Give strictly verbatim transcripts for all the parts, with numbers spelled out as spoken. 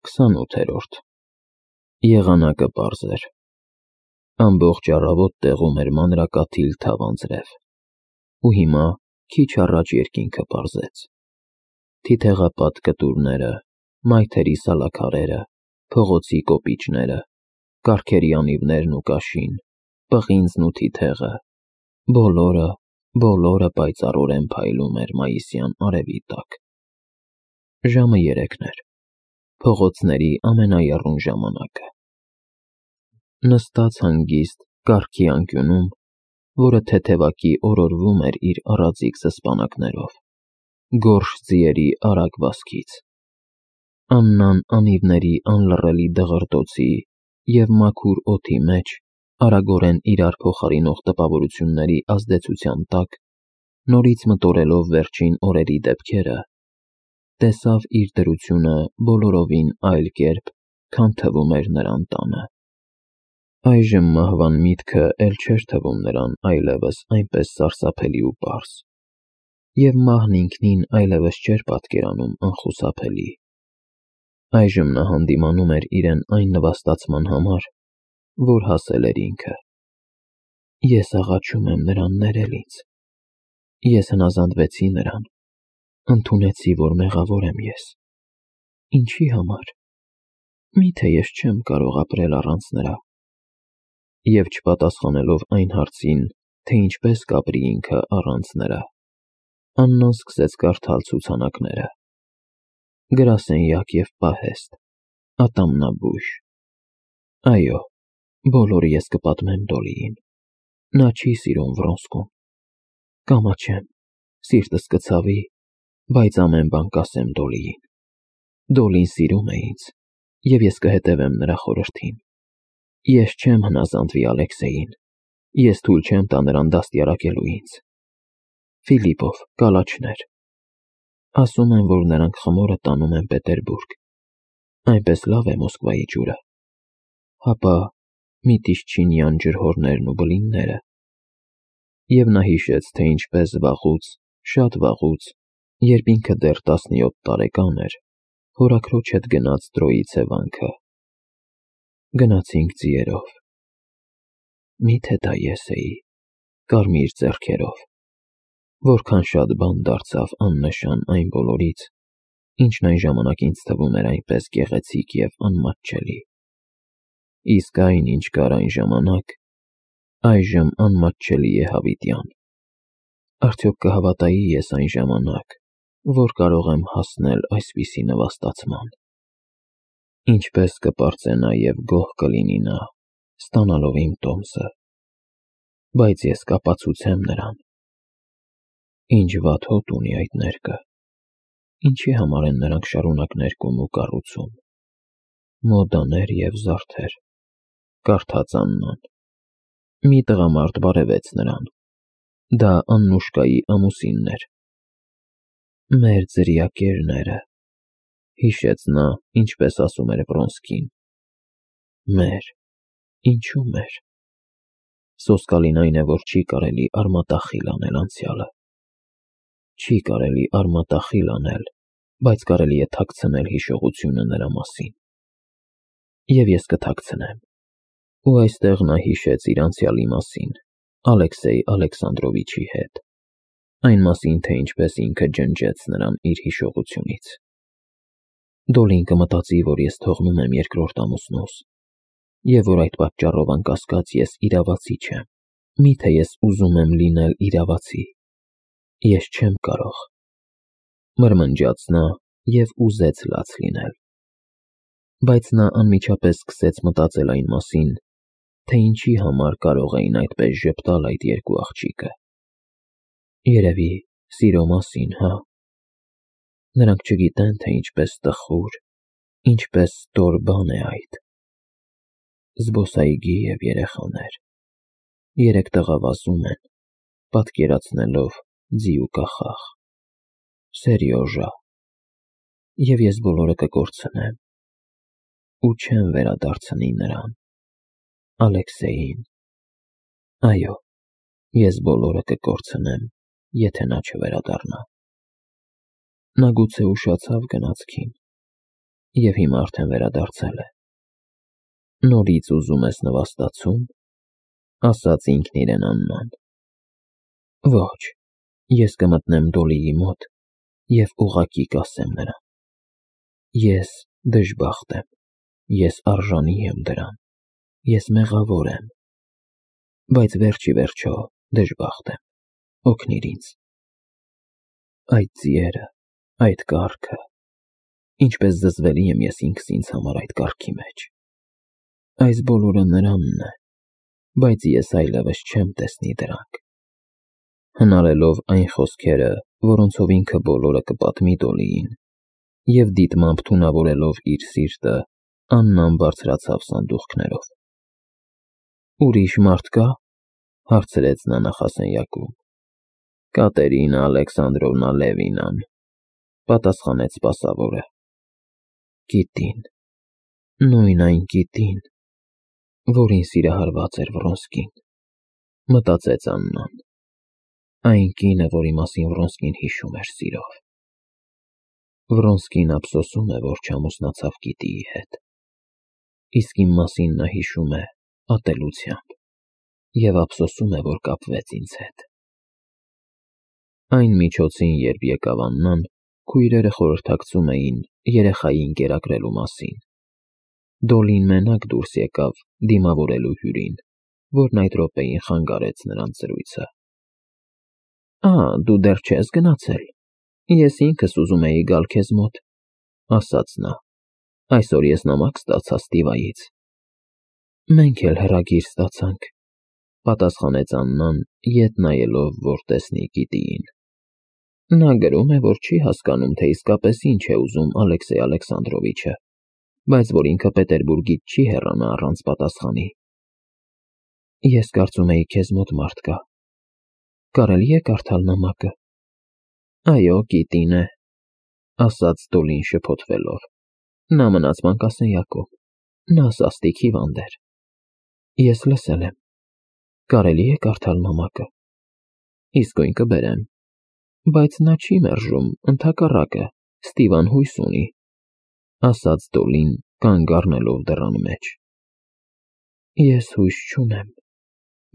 Քսանութերորդ Եղանակը պարզ էր։ Ամբողջ առավոտ տեղում էր մանրակաթիլ թավ անձրև, ու հիմա քիչ առաջ երկինքը պարզեց։ Թիթեղապատ կտուրները, մայթերի սալաքարերը, փողոցի կոպիճները, կառքերի անիվներն ու կաշին, պղինձն ու թիթեղը, բոլորը, բոլորը պայծառորեն փայլում էր մայիսյան արևի տակ։ Ժամը երեքն էր, փողոցների ամենաեռուն ժամանակը։ Նստած հանգիստ կառքի անկյունում, որը թեթևակի օրորվում էր իր առածիկ սսպանակներով, գորշ ձիերի արագ վազքից, Աննան անիվների անլռելի դղրդոցի և մաքուր օդի մեջ, արագորեն իրար փոխարինող տպավորությունների ազդեցության տակ, նորից մտորելով վերջին օրերի դեպքերը, տեսավ իր դրությունը բոլորովին այլ կերպ, քան թվում էր նրան տանը։ Այժմ մահվան միտքը էլ չէր թվում նրան այլևս այնպես սարսափելի ու պարզ, և մահն ինքնին այլևս չէր պատկերանում անխուսափելի։ Այժմ նա հանդիմանում էր իրեն այն նվաստացման համար, որ հասել էր ինքը։ Ես աղաչում եմ նրան ներել ինձ։ Ես հնազանդվեցի նրան, ընդունեցի, որ մեղավոր եմ ես։ Ինչի համար։ Մի՞թե ես չեմ կարող ապրել առանց նրա։ Եվ չպատասխանելով այն հարցին, թե ինչպես կապրի ինքը առանց նրա, Աննան սկսեց կարդալ ցուցանակները. գրասենյակ և պահեստ, ատամնաբույժ։ Այո, բոլորը ես կպատմեմ Դոլիին։ Նա չի սիրում Վրոնսկուն։ Կամաչեմ, սիրտս կցավի, բայց ամեն բան կասեմ Դոլիին։ Դոլին սիրում է ինձ, և ես կհետևեմ նրա խորհրդին։ Ես չեմ հնազանդվի Ալեքսեյին, ես թույլ չեմ տա նրան դաստիարակելու ինձ։ Ֆիլիպով, կալաչներ։ Ասում են, որ նրանք խմորը տանում են Պետերբուրգ, այնպես լավ է Մոսկվայի ջուրը։ Հապա Միտիշչինյան ջրհորներն ու բլինները։ Եվ նա հիշեց, թե ինչպես վաղուց, շատ վաղուց, երբ ինքը դեռ տասնյոթ տարեկան էր, հորաքրոջ հետ գնաց Տրոիցե վանքը։ Գնացինք ձիերով։ Մի՞թե դա ես էի, կարմիր ձեռքերով, որքան շատ բան դարձավ աննշան այն բոլորից, ինչն այն ժամանակ ինձ թվում էր այնպես գեղեցիկ և անմատչելի։ Իսկ այն, ինչ կար այն ժամանակ, այժմ անմատչելի է հավիտյան։ Արդյոք կհավատայի ես այն ժամանակ, որ կարող եմ հասնել այսպիսի նվաստացման։ Ինչպես կպարծենա և գոհ կլինի նա, ստանալով իմ տոմսը։ Բայց ես կապացուցեմ նրան։ Ինչ վատ հոտ ունի այդ ներկը։ Ինչի համար են նրանք շարունակ ներկում ու կառուցում։ Մոդաներ և զարդեր, կարդաց Աննան։ Մի տղամարդ բարևեց նրան։ Դա Աննուշկայի ամուսինն էր։ Մեր ձրիակերները, հիշեց նա, ինչպես ասում էր Վրոնսկին։ Մեր, ինչու մեր։ Սոսկալին այն է, որ չի կարելի արմատախիլ անել անցյալը։ Չի կարելի արմատախիլ անել, բայց կարելի է թաքցնել հիշողությունը նրա մասին։ Եվ ես կթաքցնեմ։ Ու այստեղ նա հիշեց իր անցյալի մասին Ալեքսեյ Ալեքսանդրովիչի հետ, այն մասին, թե ինչպես ինքը ջնջեց նրան իր հիշողությունից։ Դոլին կմտածի, որ ես թողնում եմ երկրորդ ամուսնուս, և որ այդ պատճառով անկասկած ես իրավացի չեմ։ Մի՞թե ես ուզում եմ լինել իրավացի։ Ես չեմ կարող։ Մրմնջաց նա և ուզեց լաց լինել։ Բայց նա անմիջապես սկսեց մտածել այն մասին, թե ինչի համար կարող էին այդպես ժպտալ այդ երկու աղջիկը։ Երևի սիրո մասին, հա։ Նրանք չգիտեն, թե ինչպես տխուր, ինչպես ստոր բան է այդ։ Զբոսայգի և երեխաներ։ Երեք տղա վազում են, պատկերացնելով ձի ու կախախ։ Սերյոժա։ Եվ ես բոլորը կկորցնեմ։ Ու չեմ վերադարձնի նրան, Ալեքսեյին։ Այո, ես բոլորը կկորցնեմ, եթե նա չվերադառնա։ Նա գուցե ուշացավ գնացքին։ և հիմա արդեն վերադարձել է։ Նորից ուզում ես նվաստացում, ասաց ինքն իրեն Աննան։ Ոչ, ես կմտնեմ Դոլիի մոտ և ուղղակի կասեմ նրան. ես դժբախտ եմ, ես արժանի եմ դրան, ես մեղավոր եմ, բայց վերջ ի վերջո դժբախտ եմ, օգնիր ինձ։ Այդ ձիերը, այդ կառքը, ինչպես զզվելի եմ ես ինքս ինձ համար այդ կառքի մեջ։ Այս բոլորը նրանն է, բայց ես այլևս չեմ տեսնի դրանք։ Հնարելով այն խոսքերը, որոնցով ինքը բոլորը կպատմի Դոլիին, և դիտմամբ թունավորելով իր սիրտը, Աննան բարձրացավ սանդուղքներով։ Ուրիշ մարդ կա՞, հարցրեց նա նախասենյակում։ Կատերինա Ալեքսանդրովնա Լևինան, պատասխանեց սպասավորը։ Կիտին, նույն այն կիտին, որին սիրահարված էր Վռոնսկին, մտածեց Աննան, այն կինը, որի մասին Վռոնսկին հիշում էր սիրով։ Վռոնսկին ափսոսում է, որ չամուսնացավ գիտիի հետ, իսկ իմ մասին նա հիշում է ատելությամբ և ափսոսում է, որ կապվեց ինձ հետ։ Այն միջոցին, երբ եկավ Աննան, քույրերը խորհրդակցում էին երեխային կերակրելու մասին։ Դոլին մենակ դուրս եկավ դիմավորելու հյուրին, որն այդ րոպեին խանգարեց նրանց զրույցը։ Ա, դու դեռ չես գնացել, ես ինքս ուզում էի գալ քեզ մոտ, ասաց նա, այսօր ես նամակ ստացա Ստիվայից։ Մենք էլ հրագիր ստացանք, պատասխանեց Աննան, ետ նայելով, որ տեսնի գիտիին։ Նա գրում է, որ չի հասկանում, թե իսկապես ինչ է ուզում Ալեքսեյ Ալեքսանդրովիչը, բայց որ ինքը Պետերբուրգից չի հեռանա առանց պատասխանի։ Ես կարծում էի քեզ մոտ մարդ կա։ Կարելի է կարդալ նամակը։ Այո, գիտին է, ասաց Դոլին շփոթվելով։ Նա մնաց մանկասենյակում, նա սաստիկ հիվանդ էր։ Ես լսել եմ։ Կարելի է կարդալ նամակը։ Իսկույն կբերեմ, բայց նա չի մերժում, ընդհակառակը, Ստիվան հույս ունի, ասաց Դոլին, կանգ առնելով դռան մեջ։ Ես հույս չունեմ,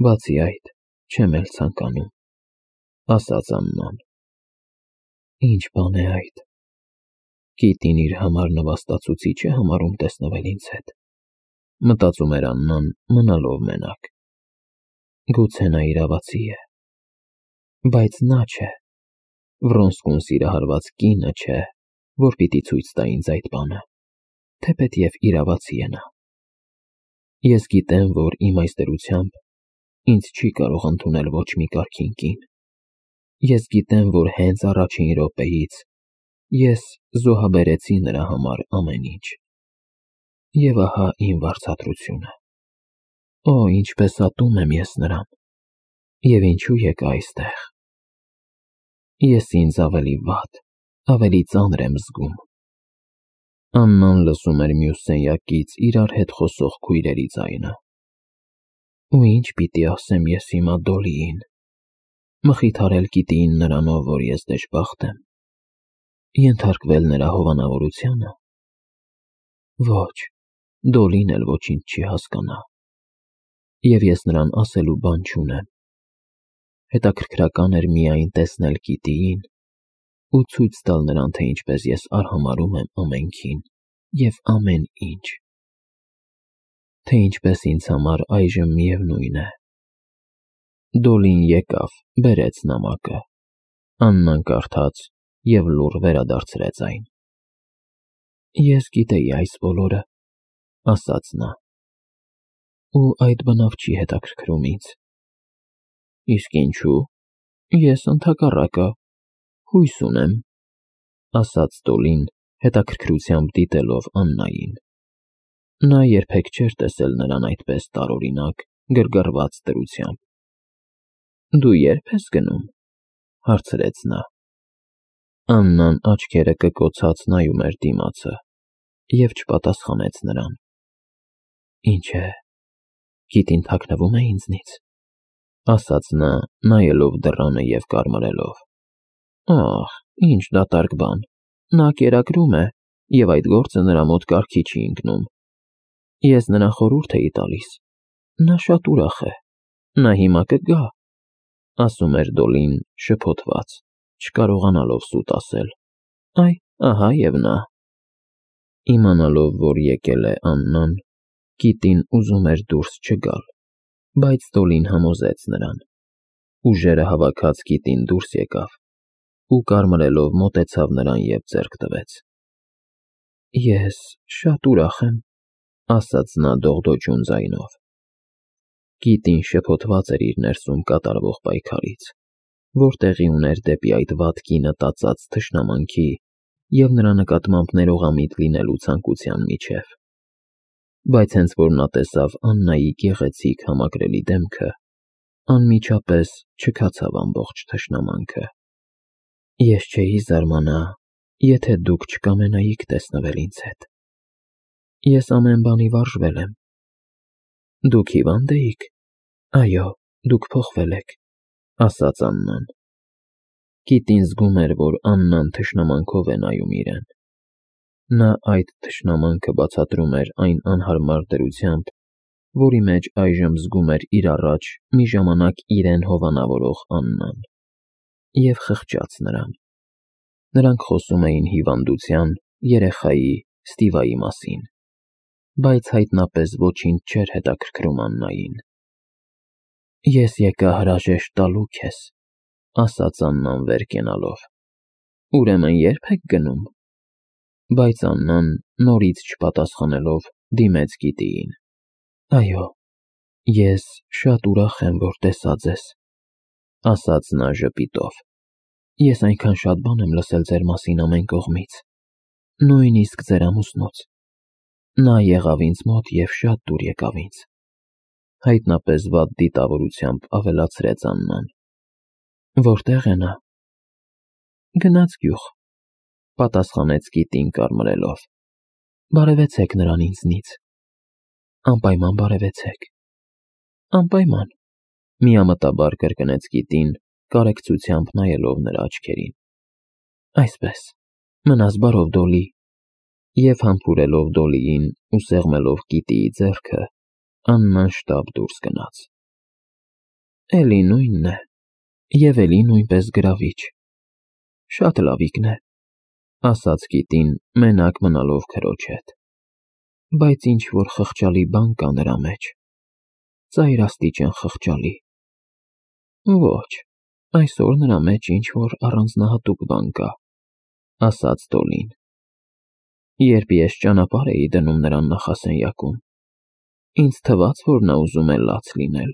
բացի այդ, չեմ էլ ցանկանում, ասաց Աննան։ Ինչ բան է այդ։ Կիտին իր համար նվաստացուցիչ է համարում տեսնվել ինձ հետ, մտածում էր Աննան, մնալով մենակ։ Գուցե նա իրավացի է, բայց նա չէ, Վռոնսկուն սիրահարված կինը չէ, որ պիտի ցույց տա ինձ այդ բանը, թեպետև իրավացի է նա։ Ես գիտեմ, որ իմ այս դրությամբ ինձ չի կարող ընդունել ոչ մի կարգին կին։ Ես գիտեմ, որ հենց առաջին րոպեից ես զոհաբերեցի նրա համար ամեն ինչ։ Եվ ահա իմ վարձատրությունը։ Օ, ինչպես ատում եմ ես նրան, և ինչու եկա այստեղ։ Ես ինձ ավելի վատ, ավելի ծանր եմ զգում։ Աննան լսում էր մյուս սենյակից իրար հետ խոսող քույրերի ձայնը։ Ու ինչ պիտի ասեմ ես հիմա Դոլիին։ Մխիթարել գիտիին նրանով, որ ես դժբախտ եմ։ Ենթարկվել նրա հովանավորությանը։ Ոչ, Դոլին էլ ոչինչ չի հասկանա։ Եվ ես նրան ասելու բան չունեմ։ Հետաքրքրական էր միայն տեսնել գիտիին ու ցույց տալ նրան, թե ինչպես ես արհամարհում եմ ամենքին և ամեն ինչ, թե ինչպես ինձ համար այժմ միևնույն է։ Դոլին եկավ, բերեց նամակը։ Աննան կարդաց և լուռ վերադարձրեց այն։ Ես գիտեի այս բոլորը, ասաց նա, ու այդ բնավ չի հետաքրքրում ինձ։ Իսկ ինչու՞։ Ես ընդհակառակը հույս ունեմ, ասաց Դոլին, հետաքրքրությամբ դիտելով Աննային։ Նա երբեք չէր տեսել նրան այդպես տարօրինակ, գրգռված դրությամբ։ Դու ե՞րբ ես գնում, հարցրեց նա։ Աննան աչքերը կկոցած նայում էր դիմացը և չպատասխանեց նրան։ Ինչ է, գիտին թաքնվում է ինձնից, ասաց նա, նայելով դռանը և կարմրելով։ Ախ, ինչ դատարկ բան, նա կերակրում է, և այդ գործը նրա մոտ կարգի չի ընկնում։ Ես նրան խորհուրդ էի տալիս. նա շատ ուրախ է, նա հիմա կգա, ասում էր Դոլին շփոթված, չկարողանալով սուտ ասել. Այ, ահա և նա։ Իմանալով, որ եկել է Աննան, Կիտին ուզում էր դուրս չգալ, բայց Դոլին համոզեց նրան։ Ուժերը հավաքած Կիտին դուրս եկավ ու կարմրելով մոտեցավ նրան և ձեռք տվեց։ Ես շատ ուրախ եմ, ասաց նա դողդոջուն ձայնով։ Կիտին շփոթված էր իր ներսում կատարվող պայքարից, որ տեղի ուներ դեպի այդ վատ կինը տածած թշնամանքի և նրա նկատմամբ ներողամիտ լինելու ցանկության միջև։ Բայց հենց որ նա տեսավ Աննայի գեղեցիկ համակրելի դեմքը, անմիջապես չքացավ ամբողջ թշնամանքը։ Ես չէի զարմանա, եթե դուք չկամենայիք տեսնվել ինձ հետ։ Ես ամեն բանի վարժվել եմ։ Դուք հիվա՞նդ էիք։ Այո, դուք փոխվել եք, ասաց Աննան։ Կիտին զգում էր, որ Աննան թշնամանքով է նայում իրեն։ Նա այդ թշնամանքը բացատրում էր այն անհարմար դրությամբ, որի մեջ այժմ զգում էր իր առաջ մի ժամանակ իրեն հովանավորող Աննան, և խղճաց նրան։ Նրանք խոսում էին հիվանդության, երեխայի, Ստիվայի մասին, բայց հայտնապես ոչինչ չէր հետաքրքրում Աննային։ Ես եկա հրաժեշտ տալու քեզ, ասաց Աննան վեր կենալով։ Ուրեմն ե՞րբ եք գնում։ Բայց Աննան, նորից չպատասխանելով, դիմեց Կիտիին։ Այո, ես շատ ուրախ եմ, որ տեսա ձեզ, ասաց նա ժպիտով։ Ես այնքան շատ բան եմ լսել ձեր մասին ամեն կողմից, նույնիսկ ձեր ամուսնուց։ Նա եղավ ինձ մոտ և շատ դուր եկավ ինձ։ Հայտնապես վատ դիտավորությամբ ավելացրեց Աննան։ Որտե՞ղ է նա։ Գնաց գյուղ, պատասխանեց Կիտին կարմրելով։ Բարևեցեք նրան ինձնից։ Անպայման բարևեցեք։ Անպայման, միամտաբար կրկնեց Կիտին, կարեկցությամբ նայելով նրա աչքերին։ Այսպես, մնաս բարով, Դոլի։ Եվ համբուրելով Դոլիին ու սեղմելով Կիտիի ձեռքը, Աննան շտապ դուրս գնաց։ Էլի նույնն է, և էլի նույնպես գրավիչ։ Շատ լավիկն է, ասաց Կիտին, մենակ մնալով քրոջ հետ։ Բայց ինչ-որ խղճալի բան կա նրա մեջ, ծայրաստիճան խղճալի։ Ոչ, այսօր նրա մեջ ինչ-որ առանձնահատուկ բան կա, ասաց Դոլին։ Երբ ես ճանապարհ էի դնում նրան նախասենյակում, ինձ թվաց, որ նա ուզում է լաց լինել։